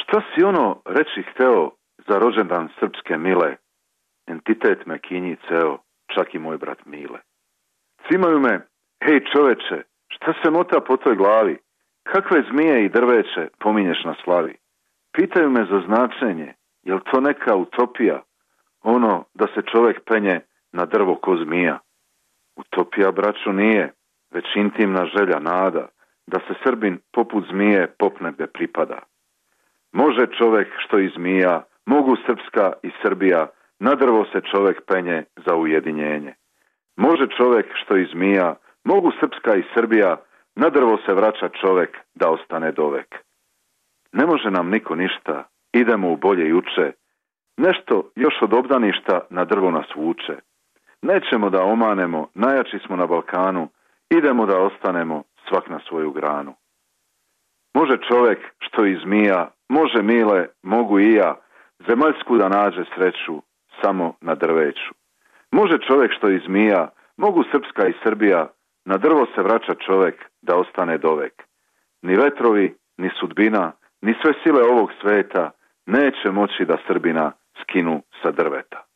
Šta si ono reći hteo za rođendan srpske mile? Entitet me kinji ceo, čak i moj brat Mile. Cimaju me, hej čoveče, šta se mota po toj glavi? Kakve zmije i drveće pominješ na slavi? Pitaju me za značenje, jel to neka utopija? Ono da se čovek penje na drvo ko zmija. Utopija, braćo, nije, već intimna želja, nada, da se Srbin poput zmije popne gde pripada. Može čovek što i zmija, mogu Srpska i Srbija, na drvo se čovek penje za ujedinjenje. Može čovek što i zmija, mogu Srpska i Srbija, na drvo se vraća čovek da ostane dovek. Ne može nam niko ništa, idemo u bolje juče, nešto još od obdaništa na drvo nas vuče. Nećemo da omanemo, najjači smo na Balkanu, idemo da ostanemo svak na svoju granu. Može čovek što i zmija, može Mile, mogu i ja, zemaljsku da nađe sreću samo na drveću. Može čovek što i zmija, mogu Srpska i Srbija, na drvo se vraća čovek da ostane dovek. Ni vetrovi, ni sudbina, ni sve sile ovog sveta neće moći da Srbina skinu sa drveta.